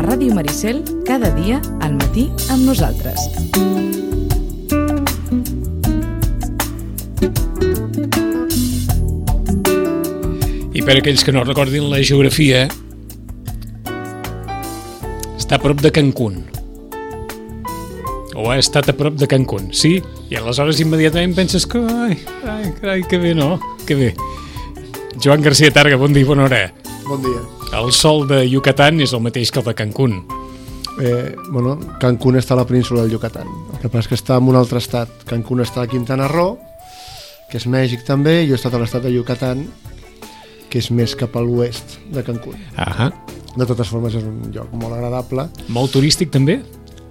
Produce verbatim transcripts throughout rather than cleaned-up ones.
Ràdio Maricel, cada dia al matí amb nosaltres. I per aquells que no recordin la geografia, està a prop de Cancún. O ha estat a prop de Cancún, sí? I aleshores immediatament penses que... Ai, ai, ai, que bé, no? Que bé. Joan García Targa, bon dia i bona hora. Bon dia. El sol de Yucatán és el mateix que el de Cancún. Eh, bueno, Cancún està a la península del Yucatán. El que passa és que està en un altre estat. Cancún està a Quintana Roo, que és Mèxic també, i jo he estat a l'estat de Yucatán, que és més cap a l'oest de Cancún. Ahà. De totes formes és un lloc molt agradable. Molt turístic també?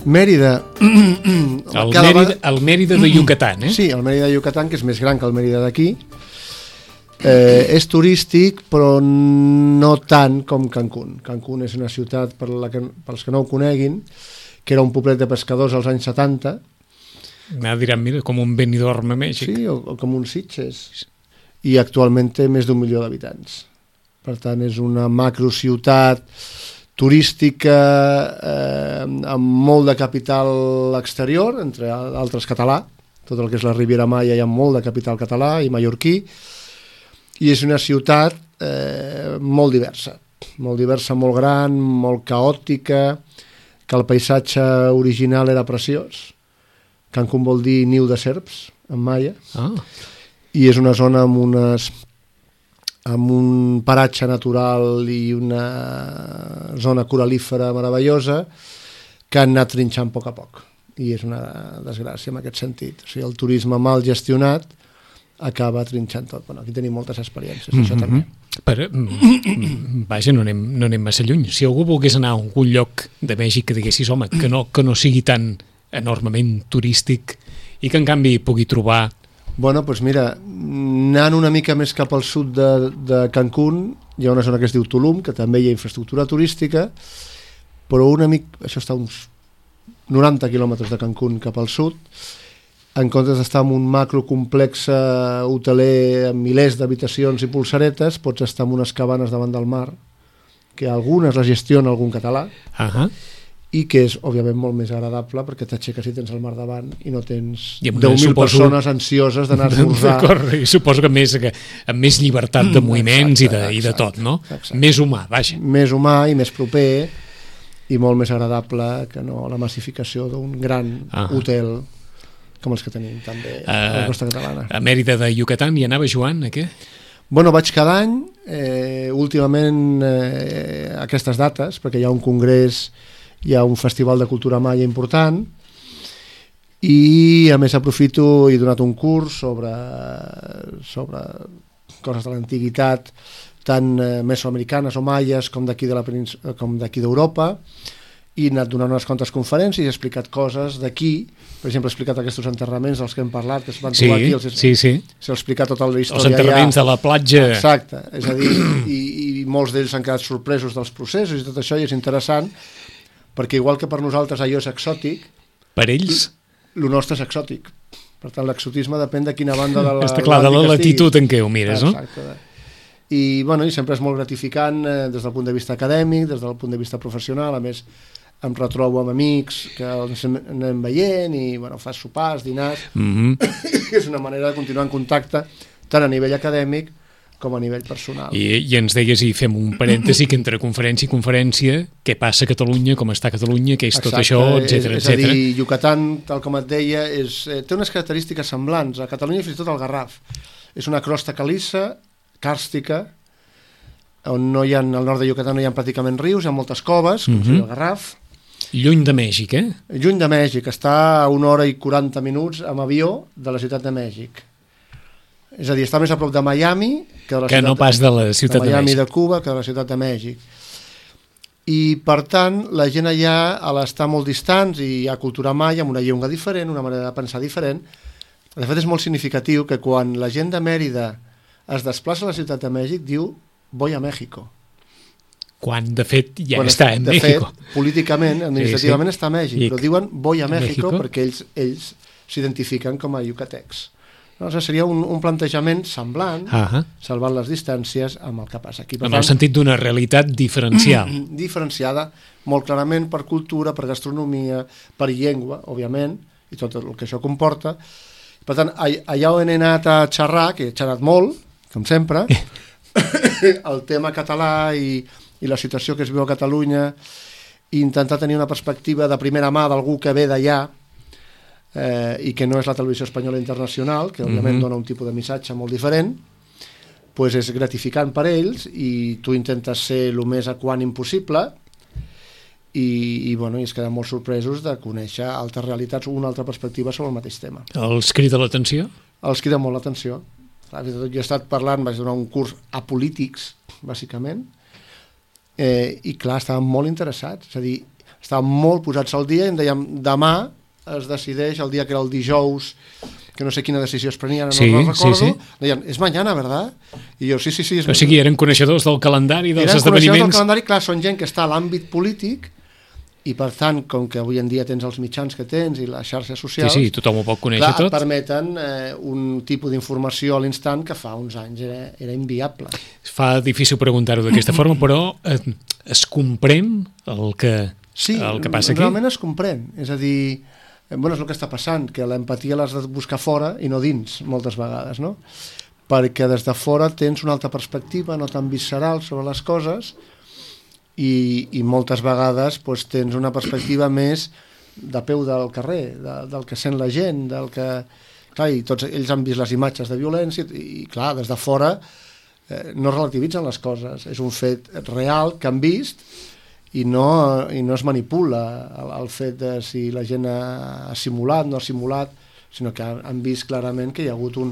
Mèrida. El Mèrida, el Mèrida de Yucatán, eh? Sí, el Mèrida de Yucatán, que és més gran que el Mèrida d'aquí. Eh, és turístic, però no tant com Cancún. Cancún és una ciutat, per la que, pels que no ho coneguin, que era un poblet de pescadors als anys setanta. M'ha diran, mira, com un Benidorm a Mèxic. Sí, o, o com un Sitges. I actualment té més d'un milió d'habitants. Per tant, és una macrociutat turística eh, amb molt de capital exterior, entre altres català. Tot el que és la Riviera Maya hi ha molt de capital català i mallorquí. I és una ciutat eh, molt diversa, molt diversa, molt gran, molt caòtica, que el paisatge original era preciós. Cancún vol dir niu de serps, en maia, Ah. i és una zona amb, unes, amb un paratge natural i una zona coralífera meravellosa que han anat trinxant a poc a poc. I és una desgràcia en aquest sentit. O sigui, el turisme mal gestionat acaba trinxant tot. Bueno, aquí tenim moltes experiències, mm-hmm. això també. Per, mm, vaja, no anem, no anem massa lluny. Si algú volgués anar a algun lloc de Mèxic que diguessis, home, que no, que no sigui tan enormement turístic i que en canvi pugui trobar... Bueno, doncs mira, anant una mica més cap al sud de, de Cancún, hi ha una zona que es diu Tulum, que també hi ha infraestructura turística, però una mica, això està a uns noranta quilòmetres de Cancún cap al sud, en comptes d'estar en un macrocomplex hoteler amb milers d'habitacions i polseretes, pots estar en unes cabanes davant del mar, que algunes les gestiona algun català, uh-huh. i que és, òbviament, molt més agradable perquè t'aixeques i tens el mar davant i no tens deu mil suposo... persones ansioses d'anar a esmorzar. I suposo que més, que amb més llibertat de moviments exacte, i, de, i de tot, no? Exacte. Més humà, vaja. Més humà i més proper i molt més agradable que no la massificació d'un gran uh-huh. hotel com els que tenim també uh, a la costa catalana. A Mèrida de Yucatán hi anava Joan, a què? Bueno, vaig cada any, eh, últimament eh, aquestes dates, perquè hi ha un congrés, hi ha un festival de cultura maia important, i a més aprofito, he donat un curs sobre, sobre coses de l'antiguitat, tant eh, mesoamericanes o maies com d'aquí de la penins- com d'aquí d'Europa, i he anat donant unes quantes conferències i he explicat coses d'aquí, per exemple he explicat aquests enterraments dels que hem parlat, que es van sí, trobar aquí, els, sí, sí. s'ha explicat tota la història els enterraments allà. De la platja. Exacte, és a dir, i, i molts d'ells han quedat sorpresos dels processos i tot això, i és interessant, perquè igual que per nosaltres allò és exòtic, per ells? El nostre és exòtic. Per tant, l'exotisme depèn de quina banda de la... Està clar, de la latitud en què ho mires, no? Exacte. I, bueno, i sempre és molt gratificant eh, des del punt de vista acadèmic, des del punt de vista professional, a més em retrobo amb amics que ens anem veient i bueno, fas sopars, dinars, mm-hmm. és una manera de continuar en contacte tant a nivell acadèmic com a nivell personal. I, i ens deies, i fem un parèntesi, que entre conferència i conferència, què passa a Catalunya, com està a Catalunya, què és Exacte, tot això, etcètera, és, és etcètera. a dir, Yucatán, tal com et deia, és, eh, té unes característiques semblants. A Catalunya fins i tot el Garraf. És una crosta calissa, càrstica, on no hi ha, al nord de Yucatán no hi ha pràcticament rius, hi ha moltes coves, com mm-hmm. el Garraf. Lluny de Mèxic, eh? Lluny de Mèxic, està a una hora i quaranta minuts amb avió de la ciutat de Mèxic. És a dir, està més a prop de Miami que de la que ciutat no pas de la ciutat de, de Miami de de Cuba que de la ciutat de Mèxic. I, per tant, la gent allà, a l'estar molt distants i hi ha cultura maia, amb una llengua diferent, una manera de pensar diferent, De fet, és molt significatiu que quan la gent de Mèrida es desplaça a la ciutat de Mèxic, diu voy a México. Quan, de fet, ja quan està en de México. Fet, políticament, administrativament, sí, sí. està a Mèxic, I però diuen voy a México, México perquè ells ells s'identifiquen com a yucatecs. No, o sigui, seria un, un plantejament semblant, uh-huh. salvant les distàncies amb el que passa aquí. Per en tant, el sentit d'una realitat diferencial. Diferenciada, molt clarament per cultura, per gastronomia, per llengua, òbviament, i tot el que això comporta. Per tant, allà on he anat a xerrar, que he xerrat molt, com sempre, el tema català i, i la situació que es viu a Catalunya, i intentar tenir una perspectiva de primera mà d'algú que ve d'allà, eh, i que no és la televisió espanyola internacional, que òbviament mm-hmm. dona un tipus de missatge molt diferent, pues és gratificant per ells, i tu intentes ser el més equànim possible, i, i, bueno, i es queden molt sorpresos de conèixer altres realitats, una altra perspectiva sobre el mateix tema. Els crida l'atenció? Els crida molt l'atenció. Jo he estat parlant, vaig donar un curs a polítics, bàsicament, eh, i clar, estaven molt interessats, és a dir, estaven molt posats al dia i em dèiem, demà es decideix, el dia que era el dijous, que no sé quina decisió es prenia, no sí, no recordo, sí, sí. deien, és mañana, ¿verdad? I jo, sí, sí, sí. És o sigui, eren coneixedors del calendari, dels eren esdeveniments... Eren coneixedors del calendari, clar, són gent que està a l'àmbit polític, i per tant, com que avui en dia tens els mitjans que tens i les xarxes socials, sí, sí, tothom ho pot conèixer clar, tot, permeten eh, un tipus d'informació a l'instant que fa uns anys era, era inviable. Fa difícil preguntar-ho d'aquesta forma, però eh, es comprèn el que, sí, el que passa aquí? Sí, realment es comprèn, és a dir, eh, bueno, és el que està passant, que l'empatia l'has de buscar fora i no dins, moltes vegades, no? Perquè des de fora tens una altra perspectiva, no tan visceral sobre les coses, I, i moltes vegades doncs, tens una perspectiva més de peu del carrer, de, del que sent la gent, del que... Clar, i tots ells han vist les imatges de violència i, i clar, des de fora eh, no relativitzen les coses, és un fet real que han vist i no, i no es manipula el, el fet de si la gent ha, ha simulat, no ha simulat, sinó que han, han vist clarament que hi ha hagut un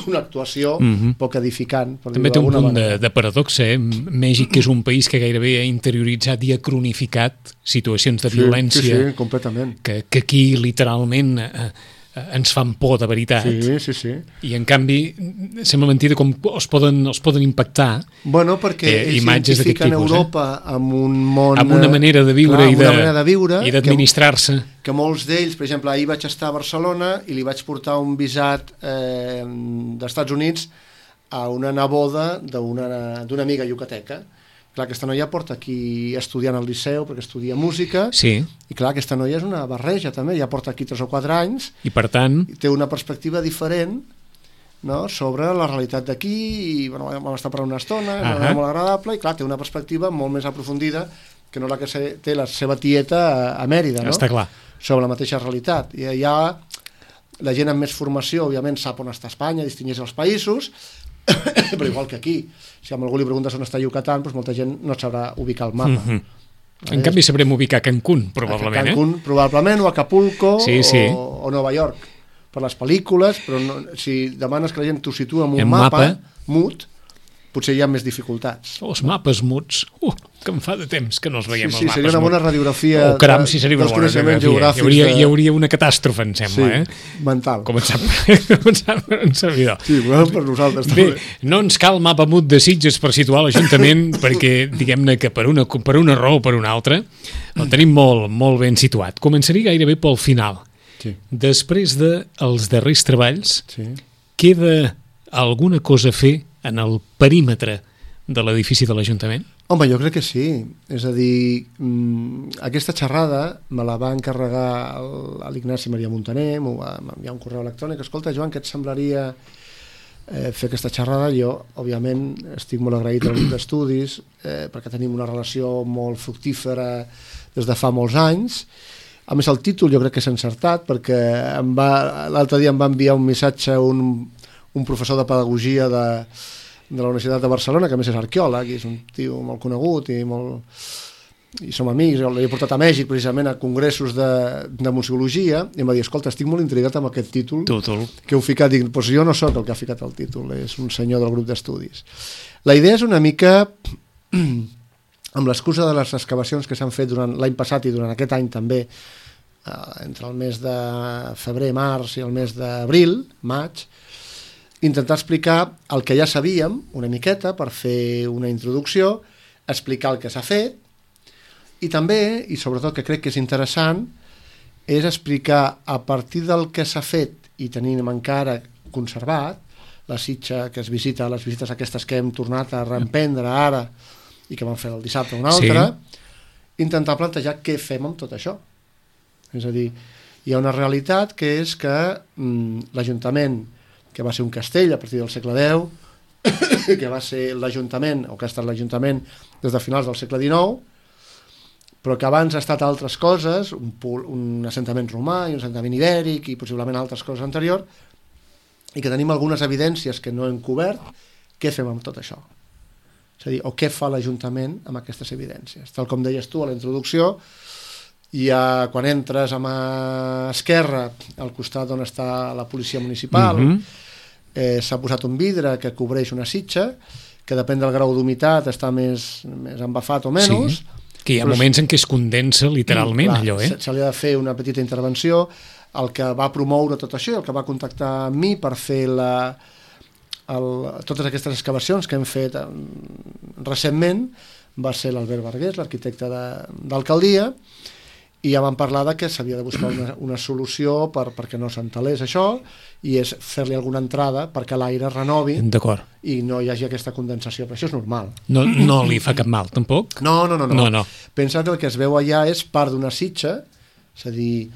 una actuació mm-hmm. poc edificant. També té un punt de, de paradoxa, eh? Mèxic, que és un país que gairebé ha interioritzat i ha cronificat situacions de sí, violència sí, sí, completament. Que, que aquí literalment eh, ens fan por de veritat. Sí, sí, sí. I en canvi sembla mentida com els poden, els poden impactar bueno, perquè eh, ells imatges d'aquest tipus. Europa eh? amb un món... Amb una manera de viure, clar, i, de, manera de viure i d'administrar-se. Que, que molts d'ells, per exemple, ahir vaig estar a Barcelona i li vaig portar un visat eh, d'Estats Units a una neboda d'una d'una amiga yucateca. Clar, aquesta noia porta aquí estudiant al Liceu perquè estudia música sí. i clar, aquesta noia és una barreja també, ja porta aquí tres o quatre anys i per tant i té una perspectiva diferent, no?, sobre la realitat d'aquí i bueno, vam estar per una estona, uh -huh. molt agradable i clar, té una perspectiva molt més aprofundida que no la que té la seva tieta a, a Mèrida, no? Està clar. Sobre la mateixa realitat. I allà la gent amb més formació, òbviament, sap on està Espanya, distingeix els països, però igual que aquí, si a algú li preguntes on està Yucatán, doncs molta gent no sabrà ubicar el mapa. Mm-hmm. En eh? canvi sabrem ubicar Cancún, probablement. A Cancún, eh? probablement, o Acapulco, sí, sí. O, o Nova York, per les pel·lícules, però no, si demanes que la gent t'ho situa en un en mapa, mapa mut, potser hi ha més dificultats. Els mapes muts, uh, que em fa de temps que no els veiem, sí, sí, els mapes seria una bona radiografia oh, caram, sí, seria una dels bona coneixements geogràfics. Hi hauria, de... hi hauria una catàstrofe, em sembla, sí, eh? mental. Començant, començant per un servidor. Sí, bueno, per nosaltres també. Bé, no ens cal mapa mut de Sitges per situar l'Ajuntament perquè, diguem-ne que per una, per una raó o per una altra, el tenim molt, molt ben situat. Començaria gairebé pel final. Sí. Després dels de darrers treballs, sí. queda alguna cosa a fer en el perímetre de l'edifici de l'Ajuntament? Home, jo crec que sí. És a dir, mmm, aquesta xerrada me la va encarregar l'Ignasi Maria Montaner, m'ho va enviar un correu electrònic. Escolta, Joan, què et semblaria eh, fer aquesta xerrada? Jo, òbviament, estic molt agraït al grup d'estudis eh, perquè tenim una relació molt fructífera des de fa molts anys. A més, el títol jo crec que és encertat perquè l'altre dia em va enviar un missatge un, un professor de pedagogia de de la Universitat de Barcelona, que a més és arqueòleg i és un tio molt conegut i molt... i som amics, l'he portat a Mèxic precisament a congressos de, de museologia i em va dir, escolta, estic molt intrigat amb aquest títol Total. que heu ficat. Dic, doncs jo no sóc el que ha ficat el títol, és un senyor del grup d'estudis. La idea és una mica amb l'excusa de les excavacions que s'han fet durant l'any passat i durant aquest any també eh, entre el mes de febrer, març i el mes d'abril, maig, intentar explicar el que ja sabíem una miqueta per fer una introducció, explicar el que s'ha fet, i també, i sobretot que crec que és interessant, és explicar a partir del que s'ha fet i tenim encara conservat, la sitja que es visita, les visites aquestes que hem tornat a reemprendre ara i que vam fer el dissabte una altra, sí. Intentar plantejar què fem amb tot això. És a dir, hi ha una realitat que és que mm, l'Ajuntament, que va ser un castell a partir del segle deu, que va ser l'Ajuntament, o que ha estat l'Ajuntament des de finals del segle dinou, però que abans ha estat altres coses, un, un assentament romà i un assentament ibèric i possiblement altres coses anteriors, i que tenim algunes evidències que no hem cobert. Què fem amb tot això? És a dir, o què fa l'Ajuntament amb aquestes evidències? Tal com deies tu a la introducció, hi ha, quan entres a mà esquerra, al costat on està la policia municipal, mm-hmm. eh, s'ha posat un vidre que cobreix una sitja, que depèn del grau d'humitat està més, més embafat o menys, sí. Que hi ha moments en què es condensa literalment, clar, allò, eh? Se, se li ha de fer una petita intervenció. El que va promoure tot això, el que va contactar amb mi per fer la, el, totes aquestes excavacions que hem fet recentment, va ser l'Albert Vergués, l'arquitecte d'alcaldia, i ja vam parlar de que s'havia de buscar una, una solució per, perquè no s'entelés això, i és fer-li alguna entrada perquè l'aire renovi i no hi hagi aquesta condensació, però això és normal. No, no li fa cap mal, tampoc? No, no, no. no. no, no. Pensa que el que es veu allà és part d'una sitja, és a dir,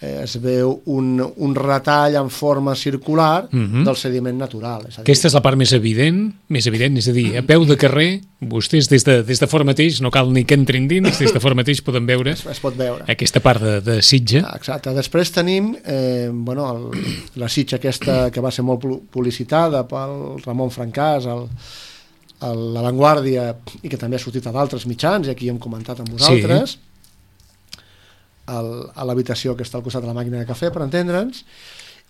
eh, es veu un, un retall en forma circular uh-huh. del sediment natural. És a dir, aquesta és la part més evident, més evident, és a dir, a peu de carrer, vostès des de, des de fora mateix, no cal ni que entrin dins, des de fora mateix podem veure, es, es pot veure aquesta part de, de sitja. Exacte. Després tenim eh, bueno, el, la sitja aquesta que va ser molt publicitada pel Ramon Francàs, el, el, La Vanguardia, i que també ha sortit a d'altres mitjans, i aquí hem comentat amb vosaltres, sí. el, a l'habitació que està al costat de la màquina de cafè, per entendre'ns,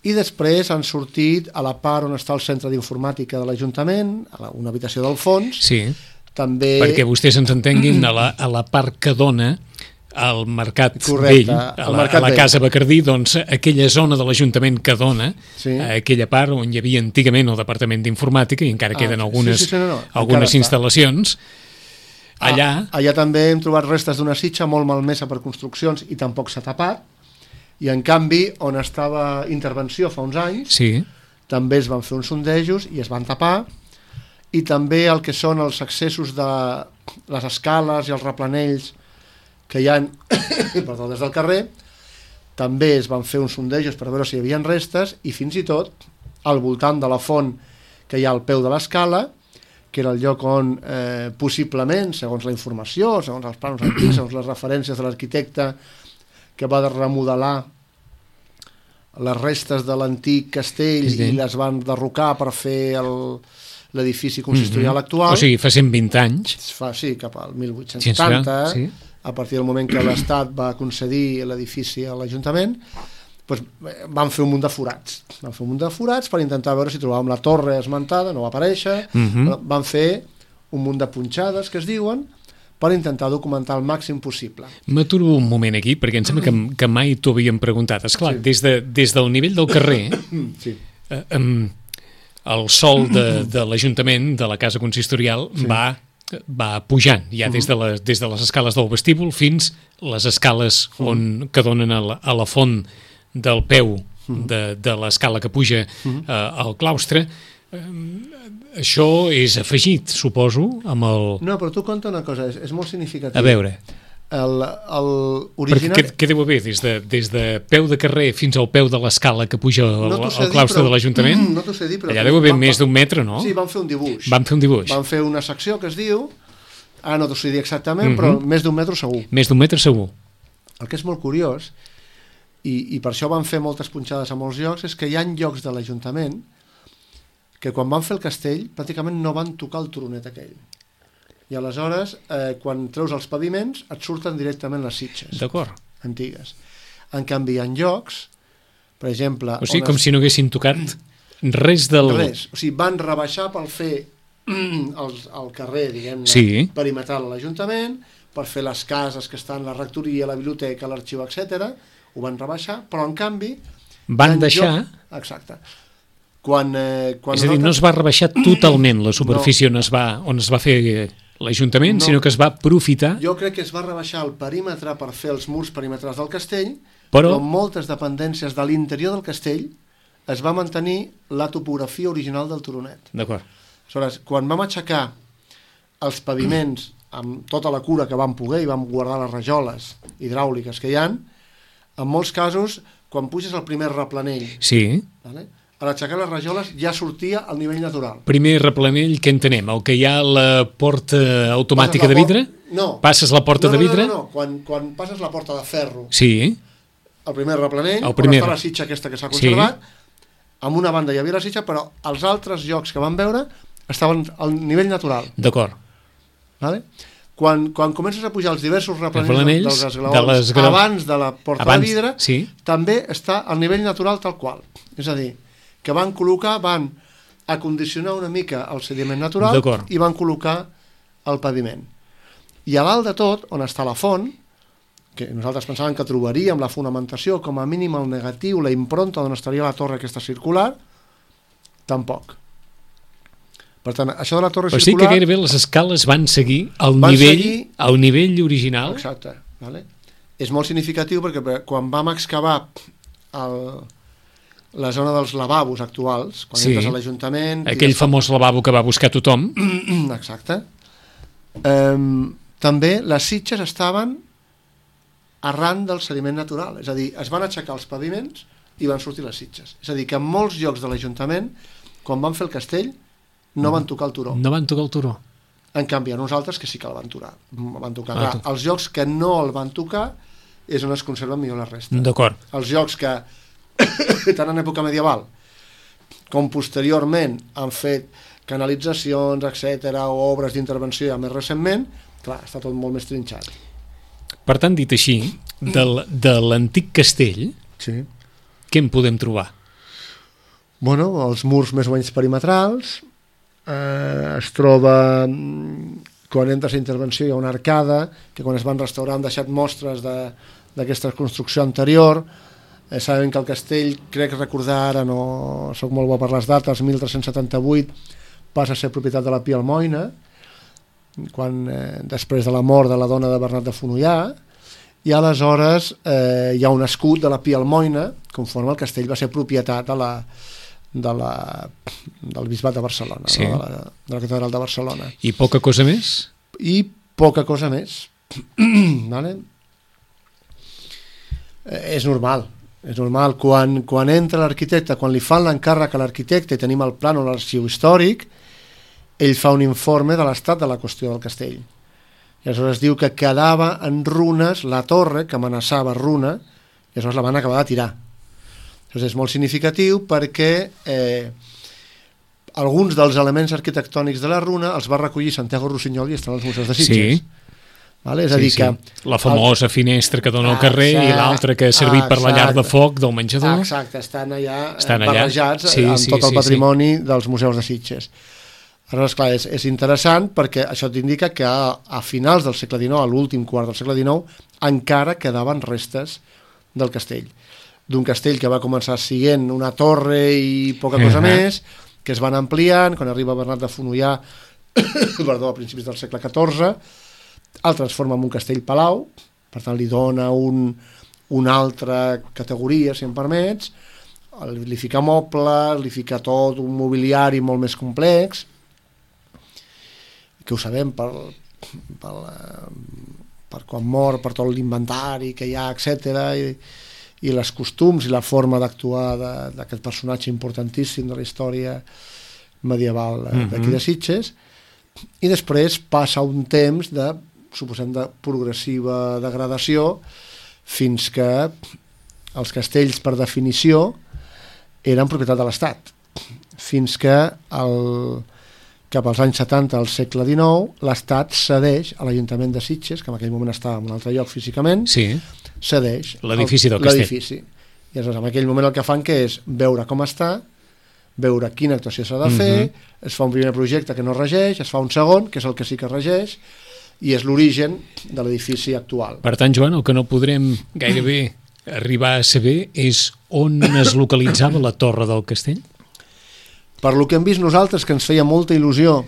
i després han sortit a la part on està el centre d'informàtica de l'Ajuntament, a la, una habitació del fons, sí. També... perquè vostès ens entenguin, a la, a la part que dona al Mercat Correcte, Vell, a la, mercat a la vell. Casa Bacardí, doncs aquella zona de l'Ajuntament que dona, sí. aquella part on hi havia antigament el Departament d'Informàtica i encara ah, queden algunes, sí, sí, sí, no, no. algunes instal·lacions, allà... Ah, allà també hem trobat restes d'una sitja molt malmesa per construccions i tampoc s'ha tapat, i en canvi, on estava intervenció fa uns anys, sí. també es van fer uns sondejos i es van tapar, i també el que són els accessos de les escales i els replanells que hi ha perdó, des del carrer, també es van fer uns sondejos per veure si hi havia restes, i fins i tot al voltant de la font que hi ha al peu de l'escala, que era el lloc on eh, possiblement, segons la informació, segons els plans antics, segons les referències de l'arquitecte que va remodelar les restes de l'antic castell sí. i les van derrocar per fer el l'edifici consistorial mm-hmm. actual. O sigui, fa cent vint anys. Fa, sí, cap al mil vuit-cents setanta, sí. a partir del moment que l'Estat va concedir l'edifici a l'Ajuntament, doncs van fer un munt de forats. Van fer un munt de forats per intentar veure si trobàvem la torre esmentada, no va aparèixer, mm-hmm. van fer un munt de punxades, que es diuen, per intentar documentar el màxim possible. M'aturo un moment aquí, perquè em sembla que, que mai t'ho havíem preguntat. Esclar, sí. des, de, des del nivell del carrer... sí. Eh, um, el sol de, de l'Ajuntament, de la Casa Consistorial, sí. va, va pujant, ja des de, les, des de les escales del vestíbul fins les escales on, que donen a la, a la font del peu de, de l'escala que puja eh, al claustre. Eh, això és afegit, suposo, amb el... No, però tu conta una cosa, és, és molt significatiu. A veure... El, el original... Perquè què, què deu haver? Des de, des de peu de carrer fins al peu de l'escala que puja al, no al claustre dir, però, de l'Ajuntament? No t'ho sé dir, però... Allà deu haver més d'un metre, no? Sí, van fer un dibuix. Van fer un dibuix. Van fer una secció que es diu... Ah, no t'ho sé dir exactament, mm-hmm. però més d'un metre segur. Més d'un metre segur. El que és molt curiós, i, i per això van fer moltes punxades a molts llocs, és que hi ha llocs de l'Ajuntament que quan van fer el castell pràcticament no van tocar el turonet aquell. I aleshores, eh, quan treus els paviments, et surten directament les sitges antigues. En canvi, hi ha llocs, per exemple... O sigui, com es... si no haguessin tocat res del... Res. O sigui, van rebaixar per fer el, el carrer, diguem-ne, sí. perimetral a l'Ajuntament, per fer les cases que estan, la rectoria, la biblioteca, l'arxiu, etcètera. ho van rebaixar, però en canvi... Van deixar... Lloc... Exacte. Quan, eh, quan és a dir, nosaltres... no es va rebaixar totalment la superfície no. on, es va, on es va fer l'Ajuntament, no. sinó que es va aprofitar... Jo crec que es va rebaixar el perímetre per fer els murs perimetrals del castell, però, però moltes dependències de l'interior del castell es va mantenir la topografia original del turonet. D'acord. Aleshores, quan vam aixecar els paviments amb tota la cura que vam poder i vam guardar les rajoles hidràuliques que hi ha, en molts casos, quan puges el primer replanell, sí. vale? A l'aixecar les rajoles ja sortia al nivell natural. Primer replanell, què entenem? El que hi ha la porta automàtica de vidre? No. Passes la porta no, no, de vidre? No, no, no. Quan, quan passes la porta de ferro, sí. el primer replanell, el primer... on està la sitxa aquesta que s'ha conservat, sí. amb una banda hi havia la sitxa, però els altres llocs que vam veure estaven al nivell natural. D'acord. Vale? Quan, quan comences a pujar els diversos replanells, replanells dels esglaons de abans de la porta abans, de vidre, sí. també està al nivell natural tal qual. És a dir, que van col·locar, van acondicionar una mica el sediment natural i van col·locar el paviment. I a dalt de tot, on està la font, que nosaltres pensàvem que trobaríem la fonamentació, com a mínim el negatiu, la impronta on estaria la torre aquesta circular, tampoc. Per tant, això de la torre Però circular... sí que gairebé les escales van seguir al van nivell seguir... al nivell original. Exacte. Vale? És molt significatiu perquè quan vam excavar el, la zona dels lavabos actuals, quan sí. entres a l'Ajuntament... Aquell famós lavabo que va buscar tothom. Exacte. Um, també les sitges estaven arran del sediment natural. És a dir, es van aixecar els paviments i van sortir les sitges. És a dir, que en molts llocs de l'Ajuntament, quan van fer el castell, no van tocar el turó. No van tocar el turó. En canvi, a nosaltres que sí que el van tocar. Van tocar. Ah, Clar, els llocs que no el van tocar és on es conserven millor les restes. D'acord. Els llocs que, tant en època medieval com posteriorment han fet canalitzacions, etcètera, o obres d'intervenció ja més recentment, clar, està tot molt més trinxat. Per tant, dit així, del, de l'antic castell, sí. què en podem trobar? Bueno, els murs més o menys perimetrals, eh, es troba, quan entres a intervenció hi ha una arcada, que quan es van restaurar han deixat mostres d'aquesta construcció anterior. Eh, sabem que el castell, crec recordar ara, no soc molt bo per les dates, mil tres-cents setanta-vuit passa a ser propietat de la Pia Almoina, quan, eh, després de la mort de la dona de Bernat de Fonollà, i aleshores eh, hi ha un escut de la Pia Almoina, conforme el castell va ser propietat de la, de la, del Bisbat de Barcelona, sí. no? de, la, de la Catedral de Barcelona. I poca cosa més? I poca cosa més. Vale? Eh, és normal. És normal. Quan, quan entra l'arquitecte, quan li fan l'encàrrec a l'arquitecte i tenim el plànol a l'arxiu històric, ell fa un informe de l'estat de la qüestió del castell. I aleshores diu que quedava en runes la torre, que amenaçava runa, i aleshores la van acabar de tirar. Aleshores és molt significatiu perquè eh, alguns dels elements arquitectònics de la runa els va recollir Santiago Rossinyol i estan als museus de Sitges. Sí. Vale? És a sí, dir sí. que... La famosa el... finestra que dona al carrer exacte, i l'altra que ha servit per la llar de foc del menjador. Exacte, estan allà, estan allà. barrejats sí, amb sí, tot el sí, patrimoni sí. dels museus de Sitges. Aleshores, clar, és, és interessant perquè això t'indica que a, a finals del segle dinou, a l'últim quart del segle dinou, encara quedaven restes del castell. D'un castell que va començar sent una torre i poca cosa uh -huh. més, que es van ampliant, quan arriba Bernat de Fonollà, perdó, a principis del segle catorze, el transforma en un castell-palau, per tant li dona un, una altra categoria, si em permets, li fica mobles, li fica tot un mobiliari molt més complex, que ho sabem per, per, per quan mor, per tot l'inventari que hi ha, etcètera, i, i les costums i la forma d'actuar d'aquest personatge importantíssim de la història medieval d'aquí de Sitges. I després passa un temps de, suposem, de progressiva degradació fins que els castells, per definició, eren propietat de l'Estat. Fins que el... cap als anys setanta del segle dinou, l'Estat cedeix a l'Ajuntament de Sitges, que en aquell moment estava en un altre lloc físicament, sí. cedeix l'edifici del castell. L'edifici. I aleshores, en aquell moment el que fan que és veure com està, veure quina actuació s'ha de fer, uh-huh. es fa un primer projecte que no regeix, es fa un segon, que és el que sí que regeix, i és l'origen de l'edifici actual. Per tant, Joan, el que no podrem gairebé arribar a saber és on es localitzava la Torre del Castell? Per lo que hem vist nosaltres, que ens feia molta il·lusió.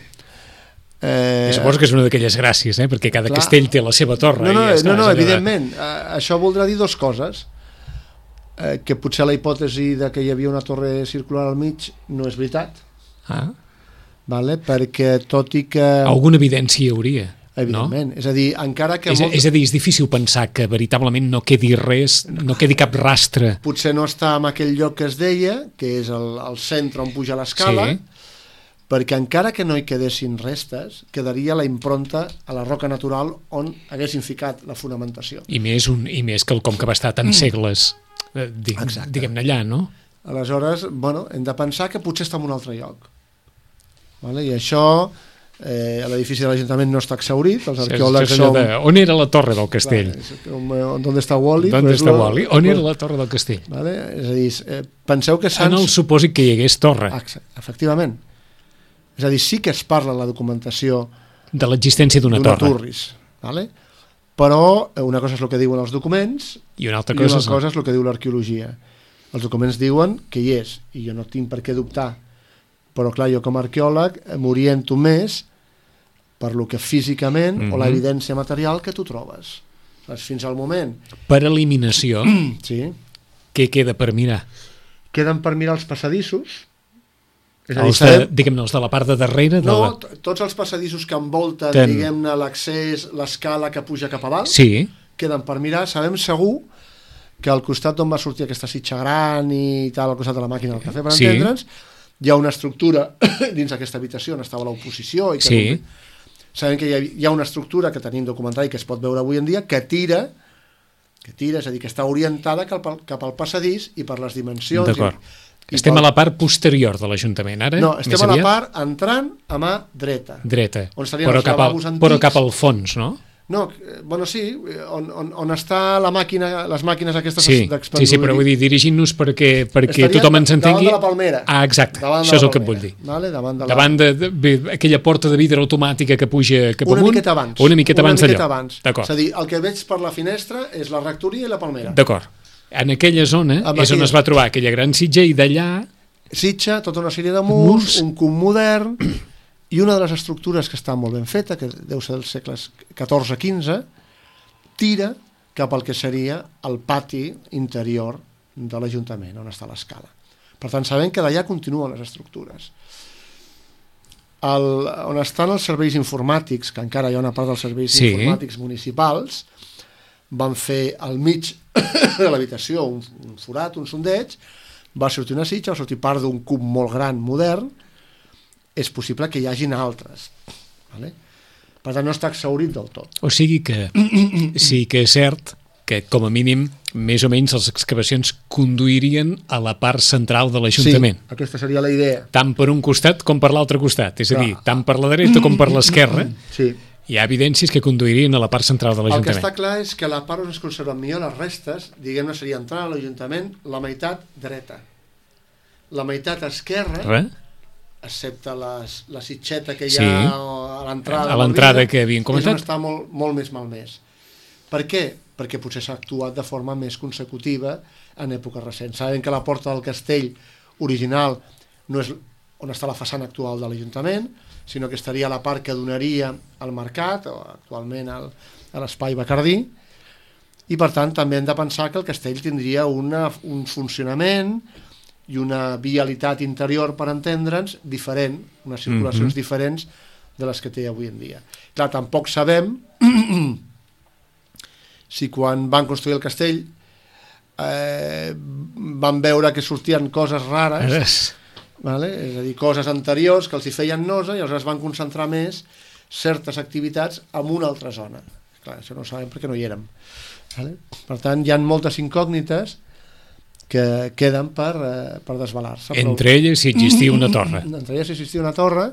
Eh... Suposo que és una d'aquelles gràcies, eh? Perquè cada clar, castell té la seva torre. No, no, i ja està, no, no allà... evidentment. Uh, això voldrà dir dues coses. Uh, que potser la hipòtesi de que hi havia una torre circular al mig no és veritat. Ah. Vale? Perquè tot i que... Alguna evidència hi hauria. Evidentment, no? És a dir, encara que... És, molt... és a dir, és difícil pensar que veritablement no quedi res, no quedi cap rastre. Potser no està en aquell lloc que es deia, que és el, el centre on puja l'escala, sí. Perquè encara que no hi quedessin restes, quedaria la impronta a la roca natural on haguessin ficat la fonamentació. I més, un, i més que el com que va estar tants segles, eh, dig, diguem-ne allà, no? Aleshores, bueno, hem de pensar que potser està en un altre lloc. Vale? I això... Eh, l'edifici de l'Ajuntament no està exhaurit, els arqueòlegs sí, som... De, on era la torre del castell? Clar, on està Wally? On està lo... Wally? On era la torre del castell? Vale? És a dir, eh, penseu que Sants... En el supòsit que hi hagués torre. Efectivament. És a dir, sí que es parla en la documentació de l'existència d'una torre. Turris, vale? Però una cosa és el que diuen els documents i una altra i cosa, una cosa és el que diu l'arqueologia. Els documents diuen que hi és, i jo no tinc per què dubtar. Però clar, jo com a arqueòleg m'oriento més per lo que físicament mm-hmm. o la evidència material que tu trobes. Fins al moment. Per eliminació, sí. Què queda per mirar? Queden per mirar els passadissos. És els a dir, de, diguem-ne, els de la part de darrere? De no, la... tots els passadissos que envolten, Ten... diguem-ne, l'accés, l'escala que puja cap a dalt, sí. Queden per mirar. Sabem segur que al costat d'on va sortir aquesta sitxa gran i tal, al costat de la màquina del cafè, per sí. Entendre'ns, hi ha una estructura dins aquesta habitació on estava l'oposició i que sí. Sabem que hi ha, hi ha una estructura que tenim documentada i que es pot veure avui en dia que tira, que tira, és a dir, que està orientada cap al, cap al passadís i per les dimensions. D'acord. I, estem i pel... a la part posterior de l'Ajuntament, ara? No, estem a la part entrant a mà dreta. Dreta, on però cap, al, però cap al fons, no? No, bueno, sí, on, on, on està la màquina, les màquines aquestes sí, d'expandir. Sí, sí, però vull dir, dirigint-nos perquè, perquè tothom ens entengui... Davant de la palmera. Ah, exacte, això és el que et vull dir. Vale, davant de, la... davant de, de, de aquella porta de vidre automàtica que puja cap una amunt. Miqueta abans. Una miqueta abans. Una miqueta abans. D'acord. És a dir, el que veig per la finestra és la rectoria i la palmera. D'acord. En aquella zona Amb és aquella... on es va trobar aquella gran sitja i d'allà... Sitja, tota una sèrie de murs, murs, un cub modern i una de les estructures que està molt ben feta, que deu ser dels segles catorze quinze, tira cap al que seria el pati interior de l'Ajuntament, on està l'escala. Per tant, sabem que d'allà continuen les estructures. El, on estan els serveis informàtics, que encara hi ha una part dels serveis sí. informàtics municipals, van fer al mig de l'habitació un, un forat, un sondeig, va sortir una sitja, va sortir part d'un cub molt gran, modern, és possible que hi hagin altres. Vale? Per tant, no està exhaurit del tot. O sigui que sí que és cert que, com a mínim, més o menys les excavacions conduirien a la part central de l'Ajuntament. Sí, aquesta seria la idea. Tant per un costat com per l'altre costat. És a dir, tant per la dreta com per l'esquerra. Sí. Hi ha evidències que conduirien a la part central de l'Ajuntament. El que està clar és que la part on es conserven millor les restes, diguem-ne, seria entrar a l'Ajuntament la meitat dreta. La meitat esquerra... Re? excepte les, la sitxeta que hi sí. ha a l'entrada a l'entrada que havien comentat, és on està molt, molt més malmès. Per què? Perquè potser s'ha actuat de forma més consecutiva en èpoques recents. Sabem que la porta del castell original no és on està la façana actual de l'Ajuntament, sinó que estaria a la part que donaria al mercat, o actualment al, a l'espai Bacardí, i per tant també hem de pensar que el castell tindria una, un funcionament i una vialitat interior, per entendre'ns, diferent, unes circulacions mm-hmm. diferents de les que té avui en dia. Clar, tampoc sabem si quan van construir el castell eh, van veure que sortien coses rares, vale? És a dir, coses anteriors que els hi feien nosa i aleshores van concentrar més certes activitats en una altra zona. Clar, això no ho sabem perquè no hi érem. Vale? Per tant, hi ha moltes incògnites que queden per, eh, per desvelar-se. Entre però... elles si existia una torre. Entre elles si existia una torre.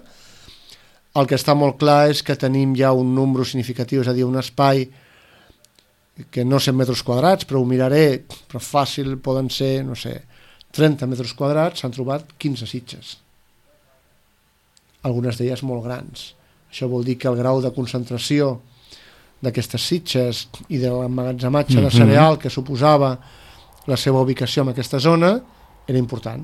El que està molt clar és que tenim ja un número significatiu, és a dir, un espai que no cent metres quadrats, però ho miraré, però fàcil poden ser, no sé, trenta metres quadrats, s'han trobat quinze sitges. Algunes d'elles molt grans. Això vol dir que el grau de concentració d'aquestes sitges i de l'emmagatzematge mm-hmm. de cereal que suposava la seva ubicació en aquesta zona era important.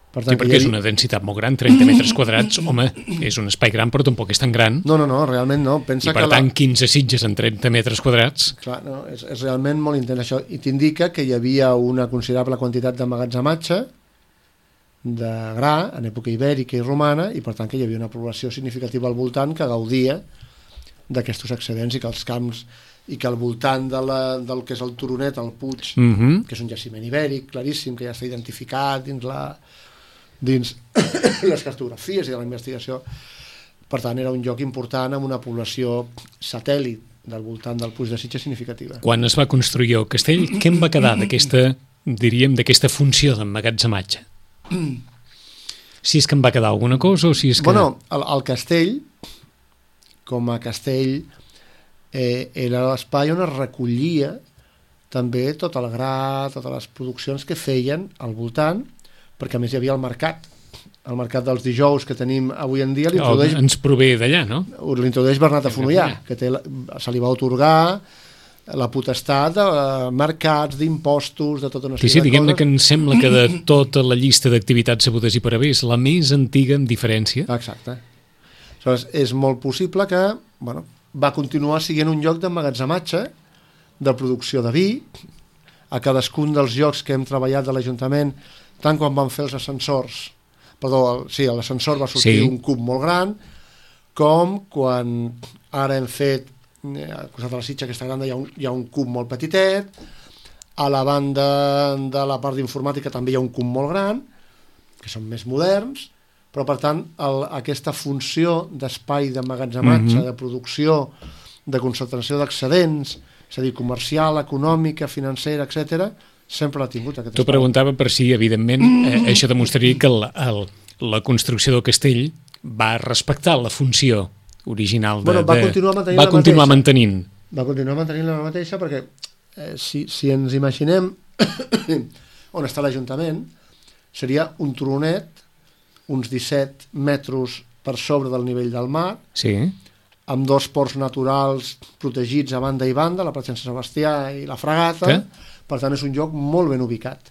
Per tant, sí, perquè havia... és una densitat molt gran, trenta metres quadrats, home, és un espai gran, però tampoc és tan gran. No, no, no, realment no. Pensa I per que tant, la... quinze sitges en trenta metres quadrats... Clar, no, és, és realment molt intens això. I t'indica que hi havia una considerable quantitat d'emmagatzematge de gra en època ibèrica i romana, i per tant que hi havia una població significativa al voltant que gaudia d'aquests excedents, i que els camps i que al voltant de la, del que és el Turonet, el Puig, uh-huh. que és un jaciment ibèric claríssim, que ja està identificat dins la dins les cartografies i de la investigació. Per tant, era un lloc important amb una població satèl·lit del voltant del Puig de Sitges significativa. Quan es va construir el castell, què en va quedar d'aquesta, diríem, d'aquesta funció d'emmagatzematge? Si és que en va quedar alguna cosa o si és que... Bueno, el, el castell, com a castell, eh, era l'espai on es recollia també tot el gra, totes les produccions que feien al voltant, perquè a més hi havia el mercat. El mercat dels dijous que tenim avui en dia l'introdueix... Ens prové d'allà, no? L'introdueix Bernat de Fonollà, que té, se li va atorgar la potestat de mercats, d'impostos, de tota una sèrie sí, sí, de coses. diguem-ne que em sembla que de tota la llista d'activitats sabudes i per haver és la més antiga en diferència. Exacte. Aleshores, és molt possible que bueno, va continuar sent un lloc d'emmagatzematge, de producció de vi, a cadascun dels llocs que hem treballat de l'Ajuntament, tant quan van fer els ascensors, perdó, el, sí, l'ascensor va sortir sí. un cub molt gran, com quan ara hem fet, eh, al costat de la Sitja aquesta gran, hi ha, un, hi ha un cub molt petitet, a la banda de la part d'informàtica també hi ha un cub molt gran, que són més moderns, però per tant el, aquesta funció d'espai d'emmagatzematge, mm-hmm. de producció, de concentració d'excedents, és a dir, comercial, econòmica, financera, etcètera, sempre l'ha tingut aquest espai. Tu preguntava per si, evidentment, eh, això demostraria que el, el, la construcció del castell va respectar la funció original de... Bueno, va continuar mantenint va la continuar mateixa. mantenint. Va continuar mantenint la mateixa perquè eh, si, si ens imaginem on està l'Ajuntament, seria un turonet, uns disset metres per sobre del nivell del mar, sí. amb dos ports naturals protegits a banda i banda, la Platja Sant Sebastià i la Fragata, que? Per tant és un lloc molt ben ubicat.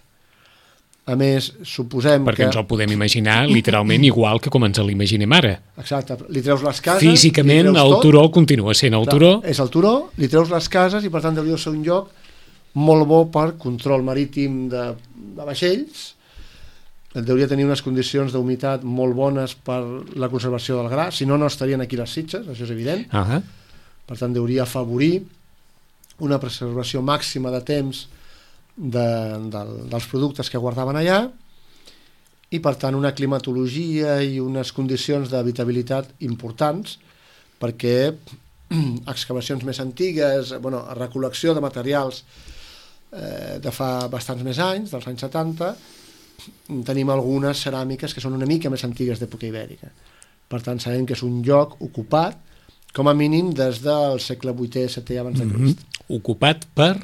A més, suposem Perquè que... ens el podem imaginar literalment igual que com ens l'imaginem ara. Exacte, li treus les cases... Físicament el tot. turó continua sent el Clar, turó. És el turó, li treus les cases i per tant hauria de ser un lloc molt bo per control marítim de, de vaixells, hauria tenir unes condicions d'humitat molt bones per la conservació del gra, si no, no estarien aquí les Sitges, això és evident. Uh-huh. Per tant, hauria afavorir una preservació màxima de temps de, de, dels productes que guardaven allà i, per tant, una climatologia i unes condicions d'habitabilitat importants perquè excavacions més antigues, bueno, recol·lecció de materials eh, de fa bastants més anys, dels anys setanta, tenim algunes ceràmiques que són una mica més antigues d'època ibèrica. Per tant, sabem que és un lloc ocupat, com a mínim des del segle vuitè setè abans de Crist. Mm-hmm. Ocupat per...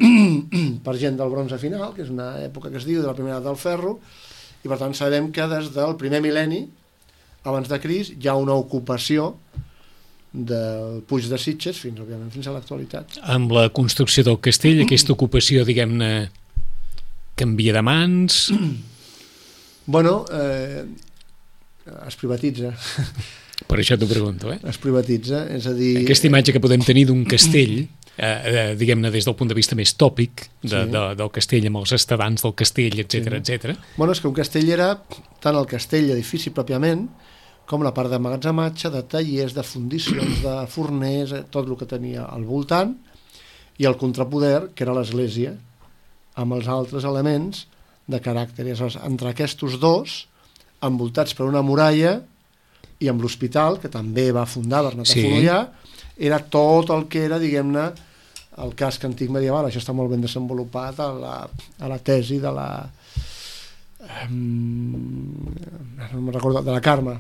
per gent del bronze final, que és una època que es diu de la primera edat del ferro, i per tant sabem que des del primer mil·lenni abans de Crist hi ha una ocupació del Puig de Sitges fins, òbviament, fins a l'actualitat. Amb la construcció del castell, aquesta ocupació, diguem-ne, canvia de mans... Bueno, eh, es privatitza. Per això t'ho pregunto, eh? Es privatitza, és a dir... Aquesta imatge que podem tenir d'un castell, eh, eh, diguem-ne, des del punt de vista més tòpic de, sí. de, del castell, amb els estadants del castell, etcètera, sí. etcètera. Bueno, és que un castell era tant el castell, edifici pròpiament, com la part d'emmagatzematge, de tallers, de fundicions, de forners, tot el que tenia al voltant, i el contrapoder, que era l'església, amb els altres elements de caràcter. I aleshores, entre aquests dos, envoltats per una muralla, i amb l'hospital, que també va fundar Bernat de Fonollà, era tot el que era, diguem-ne, el casc antic medieval. Això està molt ben desenvolupat a la, a la tesi de la... no me'n recordo, de la Carme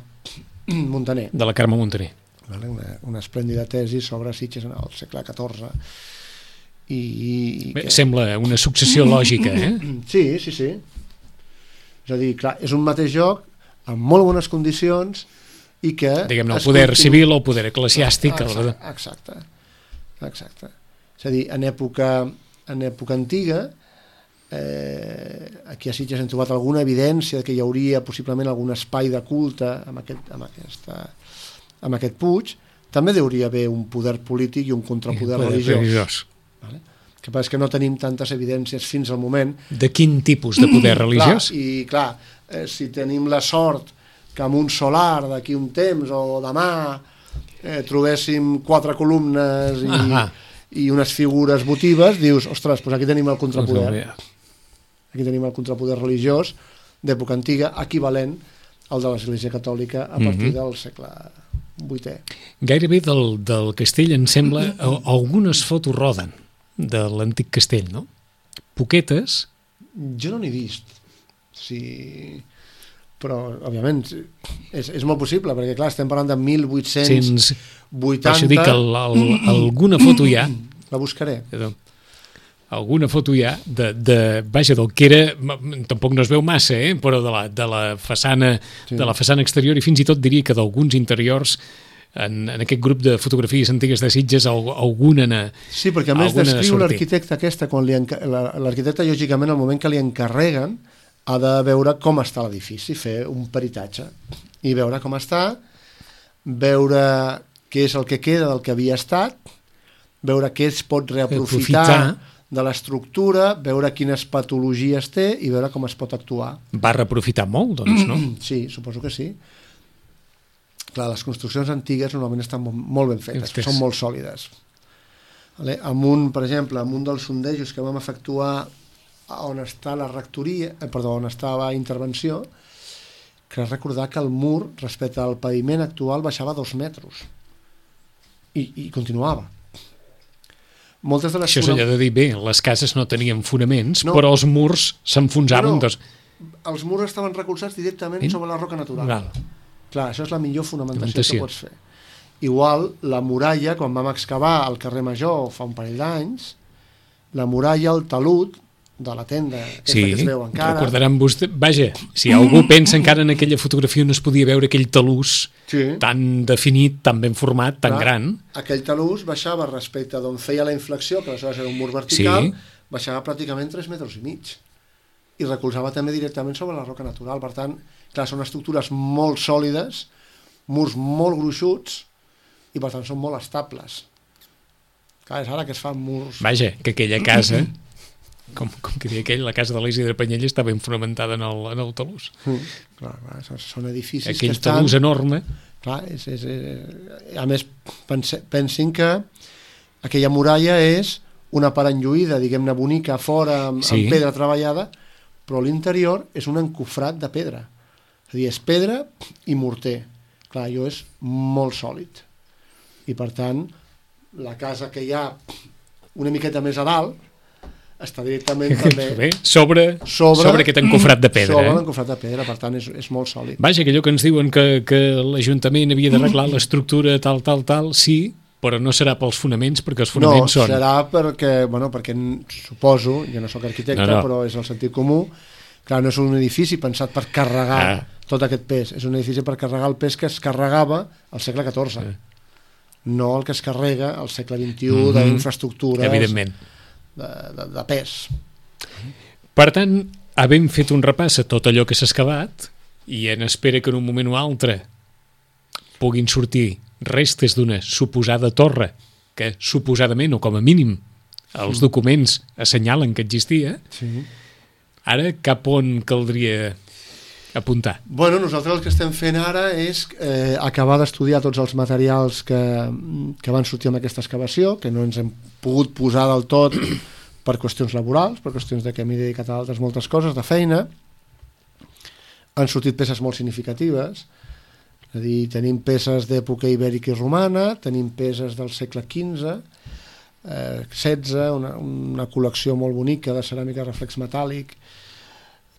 Montaner. De la Carme Montaner. Una, una esplèndida tesi sobre Sitges en el segle catorze. I, i Bé, que... sembla una successió lògica, eh? Sí, sí, sí. És a dir, clar, és un mateix joc amb molt bones condicions i que... Diguem-ne, el poder continu... civil o el poder eclesiàstic. Exacte, exacte, exacte. És a dir, en època, en època antiga Eh, aquí a Sitges hem trobat alguna evidència que hi hauria possiblement algun espai de culte amb aquest, amb aquesta, amb aquest puig. També hauria haver un poder polític i un contrapoder poder religiós. religiós. Vale? Que passa que no tenim tantes evidències fins al moment. De quin tipus de poder religiós? Clar, I clar, eh, si tenim la sort que amb un solar d'aquí un temps o demà eh, trobéssim quatre columnes i, ah i unes figures votives, dius, ostres, doncs aquí tenim el contrapoder. Aquí tenim el contrapoder religiós d'època antiga, equivalent al de l'Església Catòlica a partir mm-hmm. del segle vuitè. Gairebé del, del castell, em sembla, algunes fotos roden de l'antic castell, no? Poquetes. Jo no n'he vist. Sí, però, òbviament, és, és molt possible, perquè, clar, estem parlant de mil vuit-cents vuitanta... Això dic, el, el, alguna foto hi ha. La buscaré. Alguna foto hi ha de, de, vaja, del que era, tampoc no es veu massa, eh? Però de la, de la façana sí. de la façana exterior, i fins i tot diria que d'alguns interiors en, en aquest grup de fotografies antigues de Sitges alguna na, sí, perquè a més descriu l'arquitecte aquesta, quan li enca... l'arquitecte, lògicament, al moment que li encarreguen, ha de veure com està l'edifici, fer un peritatge i veure com està, veure què és el que queda del que havia estat, veure què es pot reaprofitar de l'estructura, veure quines patologies té i veure com es pot actuar. Va reaprofitar molt, doncs, no? Sí, suposo que sí. Clar, les construccions antigues normalment estan molt ben fetes, són molt sòlides. Vale? Amb un, per exemple, amb un dels sondejos que vam efectuar on està la rectoria, eh, perdó, on estava intervenció, crec recordar que el mur, respecte al paviment actual, baixava dos metres. I, i continuava. Moltes de les Això és allò de dir, bé, les cases no tenien fonaments, no, però els murs s'enfonsaven. No, no. Els murs estaven recolzats directament sobre la roca natural. Val. Clar, això és la millor fonamentació que pots fer. Igual, la muralla, quan vam excavar al carrer Major fa un parell d'anys, la muralla, el talud de la tenda, aquesta sí, que es veu encara. Recordaran vostè, vaja, si algú pensa encara en aquella fotografia no es podia veure aquell talús sí. tan definit, tan ben format, tan Clar, gran. Aquell talús baixava respecte d'on feia la inflexió, que aleshores era un mur vertical, sí. baixava pràcticament tres metres i mig. I recolzava també directament sobre la roca natural. Per tant, clar, són estructures molt sòlides, murs molt gruixuts, i per tant són molt estables. Clar, és ara que es fan murs... Vaja, que aquella casa... Com, com que deia aquell, la casa de l'Isidre Panyella està ben fonamentada en el, en el talús. Mm, clar, clar, són edificis aquell que estan... talús enorme. Clar, és, és, és, a més, pense, pensin que aquella muralla és una part enlluïda, diguem-ne, bonica, fora, amb, sí. amb pedra treballada, però l'interior és un encofrat de pedra. És a dir, és pedra i morter. Clar, allò és molt sòlid. I, per tant, la casa que hi ha una miqueta més a dalt està directament també Bé, sobre, sobre, sobre aquest encofrat de pedra. Sobre eh? l'encofrat de pedra, per tant és, és molt sòlid. Vaja, que allò que ens diuen que, que l'Ajuntament havia d'arreglar l'estructura tal, tal, tal, sí, però no serà pels fonaments, perquè els fonaments no, són... No, serà perquè, bueno, perquè suposo, jo no sóc arquitecte, no, no. però és el sentit comú, clar, no és un edifici pensat per carregar ah. tot aquest pes, és un edifici per carregar el pes que es carregava al segle catorze, ah. no el que es carrega al segle vint-i-u mm-hmm. d'infraestructures... Evidentment. De, de, de pes. Per tant, havent fet un repàs a tot allò que s'ha excavat i en espera que en un moment o altre puguin sortir restes d'una suposada torre que suposadament o com a mínim els sí. documents assenyalen que existia, sí. ara cap on caldria apuntar? Bueno, nosaltres el que estem fent ara és eh, acabar d'estudiar tots els materials que, que van sortir amb aquesta excavació, que no ens hem pogut posar del tot per qüestions laborals, per qüestions de que m'he dedicat a altres moltes coses, de feina. Han sortit peces molt significatives, és a dir, tenim peces d'època ibèrica i romana, tenim peces del segle quinze, eh, setze, una, una col·lecció molt bonica de ceràmica reflex metàl·lic,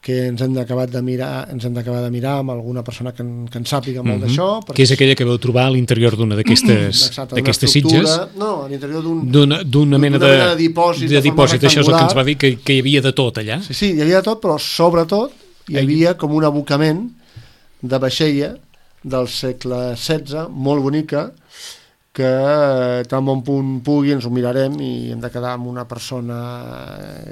que ens hem d'acabar de mirar, ens hem d'acabar de mirar amb alguna persona que en, que en sàpiga molt mm-hmm. d'això. Perquè... Que és aquella que vau trobar a l'interior d'una d'aquestes sitges? No, a l'interior d'un... D'una, d'una mena de, de dipòsit, de, de dipòsit, això és el que ens va dir, que, que hi havia de tot allà. Sí, sí, hi havia de tot, però sobretot hi havia com un abocament de vaixella del segle setze, molt bonica, que tan bon punt pugui ens ho mirarem i hem de quedar amb una persona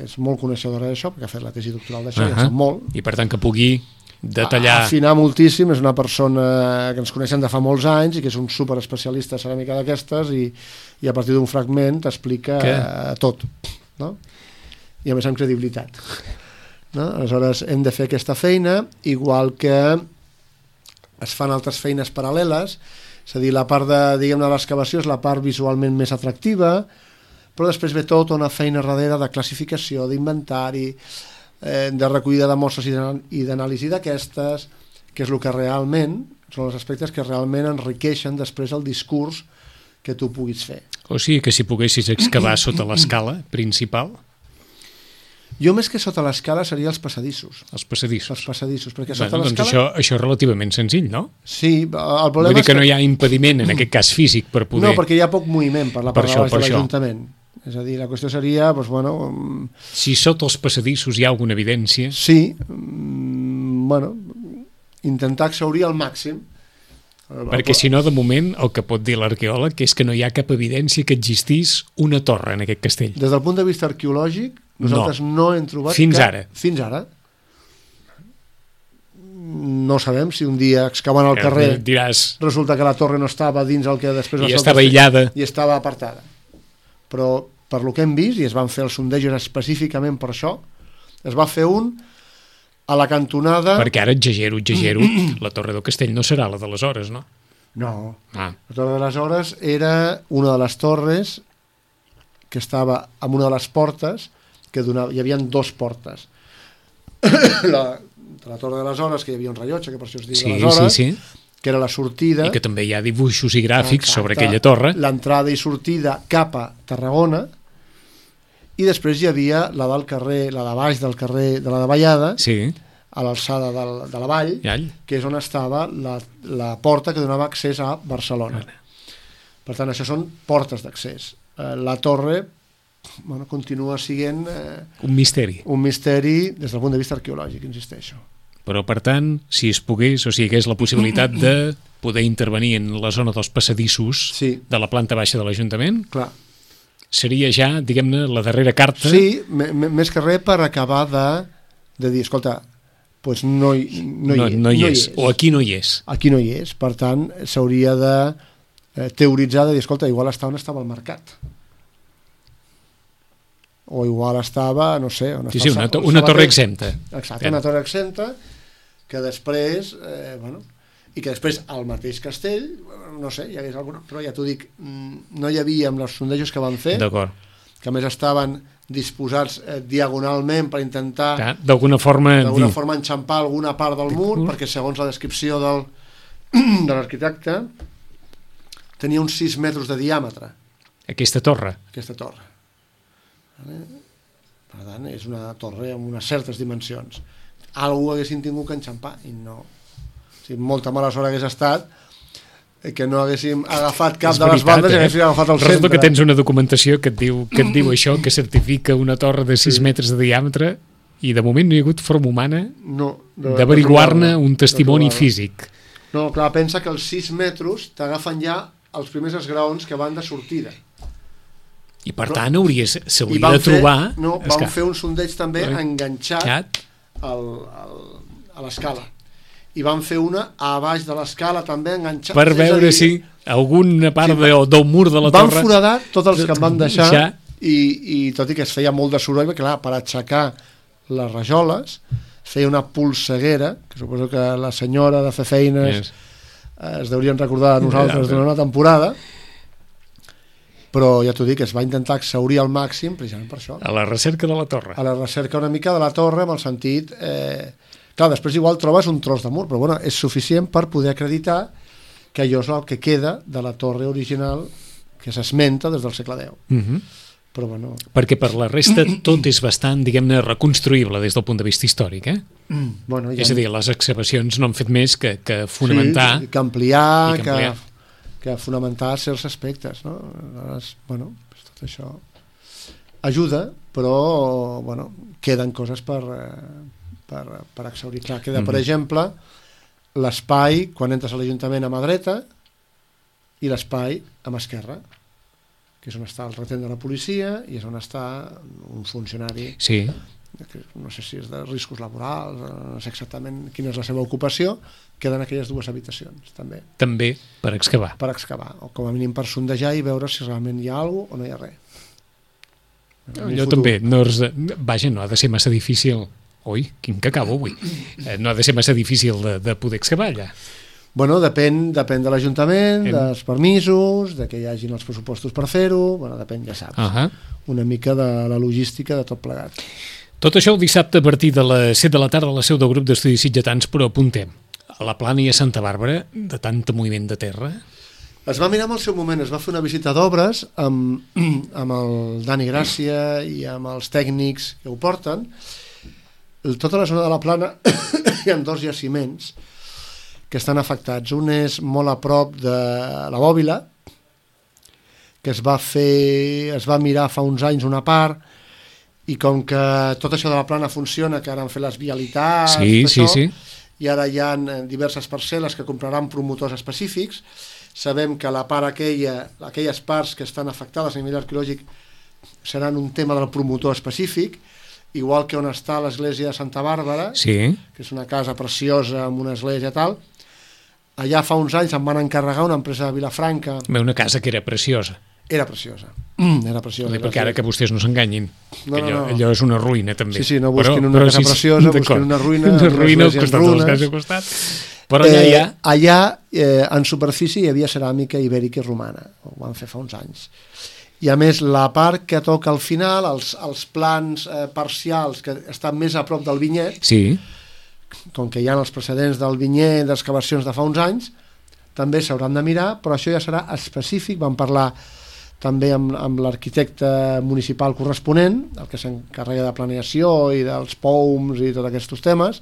és molt coneixedora d'això, perquè ha fet la tesi doctoral d'això, uh-huh. ja sap molt. I per tant que pugui detallar... Afinar moltíssim, és una persona que ens coneixen de fa molts anys i que és un superespecialista de ceràmica d'aquestes i, i a partir d'un fragment t'explica que... tot, no? I a més amb credibilitat. No? Aleshores hem de fer aquesta feina, igual que es fan altres feines paral·leles. És a dir, la part de, diguem-ne, l'excavació és la part visualment més atractiva, però després ve tota una feina darrere de classificació, d'inventari, eh, de recollida de mostres i d'anàlisi d'aquestes, que és el que realment, són els aspectes que realment enriqueixen després el discurs que tu puguis fer. O sigui que si poguessis excavar sota l'escala principal... Jo més que sota l'escala seria els passadissos. Els passadissos. Els passadissos, perquè sota bueno, l'escala... Doncs això, això és relativament senzill, no? Sí, el problema Vull dir que és que no hi ha impediment, en aquest cas físic, per poder... No, perquè hi ha poc moviment per la part per de això, baix de això. l'Ajuntament. És a dir, la qüestió seria, doncs, bueno... Si sota els passadissos hi ha alguna evidència... Sí, mm, bueno, intentar exhaurir al màxim. Perquè si no, de moment, el que pot dir l'arqueòleg és que no hi ha cap evidència que existís una torre en aquest castell. Des del punt de vista arqueològic, nosaltres no, no hem trobat... Fins cap... ara. Fins ara. No sabem si un dia excavant al carrer diràs... resulta que la torre no estava dins el que després va I ser estava aïllada. I estava apartada. Però per lo que hem vist, i es van fer els sondejos específicament per això, es va fer un a la cantonada... Perquè ara exagero, exagero, la Torre del Castell no serà la d'aleshores, no? No. Ah. La Torre d'aleshores era una de les torres que estava en una de les portes que donava, hi havia dos portes. la, la Torre d'aleshores, que hi havia un rellotge, que per això es diu sí, d'aleshores, sí, sí. que era la sortida... I que també hi ha dibuixos i gràfics exacte, sobre aquella torre. L'entrada i sortida cap a Tarragona, i després hi havia la del carrer, la de baix del carrer de la Davallada, sí. a l'alçada de, de la vall, All. que és on estava la, la porta que donava accés a Barcelona. Per tant, això són portes d'accés. Eh, la torre bueno, continua sent eh, un misteri. Un misteri des del punt de vista arqueològic, insisteixo. Però, per tant, si es pogués, o sigui, que és la possibilitat de poder intervenir en la zona dels passadissos sí. de la planta baixa de l'Ajuntament, clar, seria ja, diguem-ne, la darrera carta... Sí, més que res per acabar de, de dir, escolta, pues no, hi, no, no, hi, no, hi no és. hi és, o aquí no hi és. Aquí no hi és, per tant, s'hauria de eh, teoritzar, de dir, escolta, igual està on estava el mercat. O igual estava, no sé... On sí, està sí, una, to una torre exempta. Exacte, una torre exempta, que després, eh, bueno, i que després al mateix castell, no sé, hi hagués alguna, però ja t'ho dic, no hi havia amb els sondejos que van fer, que a més estaven disposats eh, diagonalment per intentar d'alguna forma, dir... forma enxampar alguna part del mur, uh. perquè segons la descripció del, de l'arquitecte tenia uns sis metres de diàmetre. Aquesta torre? Aquesta torre. Per tant, és una torre amb unes certes dimensions. Algú haguessin tingut que enxampar i no. O sigui, molta mala sort hagués estat que no haguéssim agafat cap de les bandes eh? i haguéssim agafat el centre. Resulta que tens una documentació que et diu, que et diu això, que certifica una torre de sis sí. metres de diàmetre i de moment no hi ha hagut forma humana no, d'averiguar-ne un testimoni físic. No, clar, pensa que els sis metres t'agafen ja els primers esgraons que van de sortida. I per però, tant hauries, s'hauria de trobar... Fer, no, vam esclar. fer un sondeig també enganxat al, al, a l'escala. I vam fer una a baix de l'escala també enganxat. Per veure dir, si alguna part sí, de, del mur de la van torre... Van foradar tots els que em van deixar ja. i, i tot i que es feia molt de soroll, perquè clar, per aixecar les rajoles feia una polseguera, que suposo que la senyora de fer feines yes. es deurien recordar de nosaltres ja, d'una temporada, però ja t'ho dic, es va intentar exhaurir al màxim precisament per això. A la recerca de la torre. A la recerca una mica de la torre, amb el sentit... Eh, clar, després igual trobes un tros de mur, però bueno, és suficient per poder acreditar que allò és el que queda de la torre original que s'esmenta des del segle deu. Uh-huh. Però bueno... Perquè per la resta tot és bastant, diguem-ne, reconstruïble des del punt de vista històric, eh? Mm, bueno, ja... És a dir, les excavacions no han fet més que, que fonamentar... Sí, que ampliar, que, ampliar. que, que fonamentar certs aspectes, no? Aleshores, bueno, tot això ajuda, però, bueno, queden coses per, per, per exhaurir. Clar, queda, mm-hmm. per exemple, l'espai, quan entres a l'Ajuntament a mà dreta, i l'espai a mà esquerra, que és on està el retent de la policia i és on està un funcionari, sí. que no sé si és de riscos laborals, no sé exactament quina és la seva ocupació, queden aquelles dues habitacions, també. També per excavar. Per excavar, o com a mínim per sondejar i veure si realment hi ha alguna cosa o no hi ha res. Allò també, no és, vaja, no ha de ser massa difícil, ui, quin que acabo avui, no ha de ser massa difícil de, de poder excavar allà. Bueno, depèn, depèn de l'Ajuntament, Hem... dels permisos, de que hi hagin els pressupostos per fer-ho, bueno, depèn, ja saps, uh-huh. una mica de la logística de tot plegat. Tot això el dissabte a partir de les set de la tarda a la seu del grup d'estudis sitgetans, però apuntem, a la Plana i a Santa Bàrbara, de tant moviment de terra? Es va mirar en el seu moment, es va fer una visita d'obres amb, amb el Dani Gràcia i amb els tècnics que ho porten. Tota la zona de la Plana hi ha dos jaciments que estan afectats. Un és molt a prop de la Bòbila, que es va fer, es va mirar fa uns anys una part, i com que tot això de la Plana funciona, que ara han fet les vialitats, sí, sí, això, sí. i ara hi ha diverses parcel·les que compraran promotors específics. Sabem que la part aquella, aquelles parts que estan afectades a nivell arqueològic seran un tema del promotor específic, igual que on està l'església de Santa Bàrbara, sí. que és una casa preciosa amb una església i tal. Allà fa uns anys em van encarregar una empresa de Vilafranca. Una casa que era preciosa. Era preciosa. Mm, era preciosa. Perquè ara que vostès no s'enganyin, no, allò, no, no. allò és una ruïna també. Sí, sí, no busquin però, una però, casa sí, preciosa, busquin una ruïna, una ruïna al costat de les cases al costat. Però allà eh, hi ha... Allà, eh, en superfície, hi havia ceràmica ibèrica i romana. Ho van fer fa uns anys. I a més, la part que toca al final, els, els plans eh, parcials que estan més a prop del vinyet, sí. com que hi ha els precedents del vinyet, d'excavacions de fa uns anys, també s'hauran de mirar, però això ja serà específic. Vam parlar també amb, amb l'arquitecte municipal corresponent, el que s'encarrega de planeació i dels P O Ms i tots aquests temes,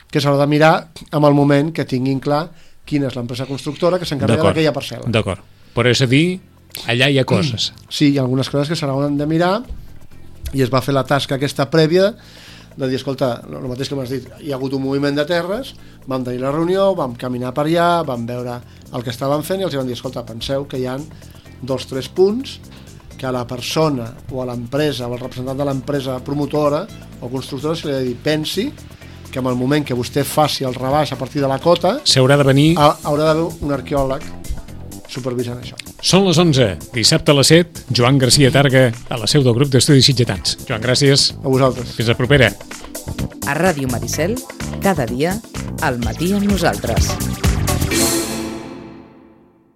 que s'haurà de mirar amb el moment que tinguin clar quina és l'empresa constructora que s'encarrega d'aquella parcel·la. D'acord, però és a dir, allà hi ha coses. Sí, hi ha algunes coses que s'hauran de mirar i es va fer la tasca aquesta prèvia de dir, escolta, el mateix que m'has dit, hi ha hagut un moviment de terres, vam tenir la reunió, vam caminar per allà, vam veure el que estaven fent i els vam dir, escolta, penseu que hi ha dos o tres punts que a la persona o a l'empresa o al representant de l'empresa promotora o constructora se li ha de dir, pensi que en el moment que vostè faci el rebaix a partir de la cota s'haurà de venir... haurà d'haver un arqueòleg supervisant això. Són les onze, dissabte a les set, Joan Garcia Targa a la seu del grup d'estudis sitgetans. Joan, gràcies. A vosaltres. Fins la propera. A Ràdio Maricel, cada dia, al matí amb nosaltres.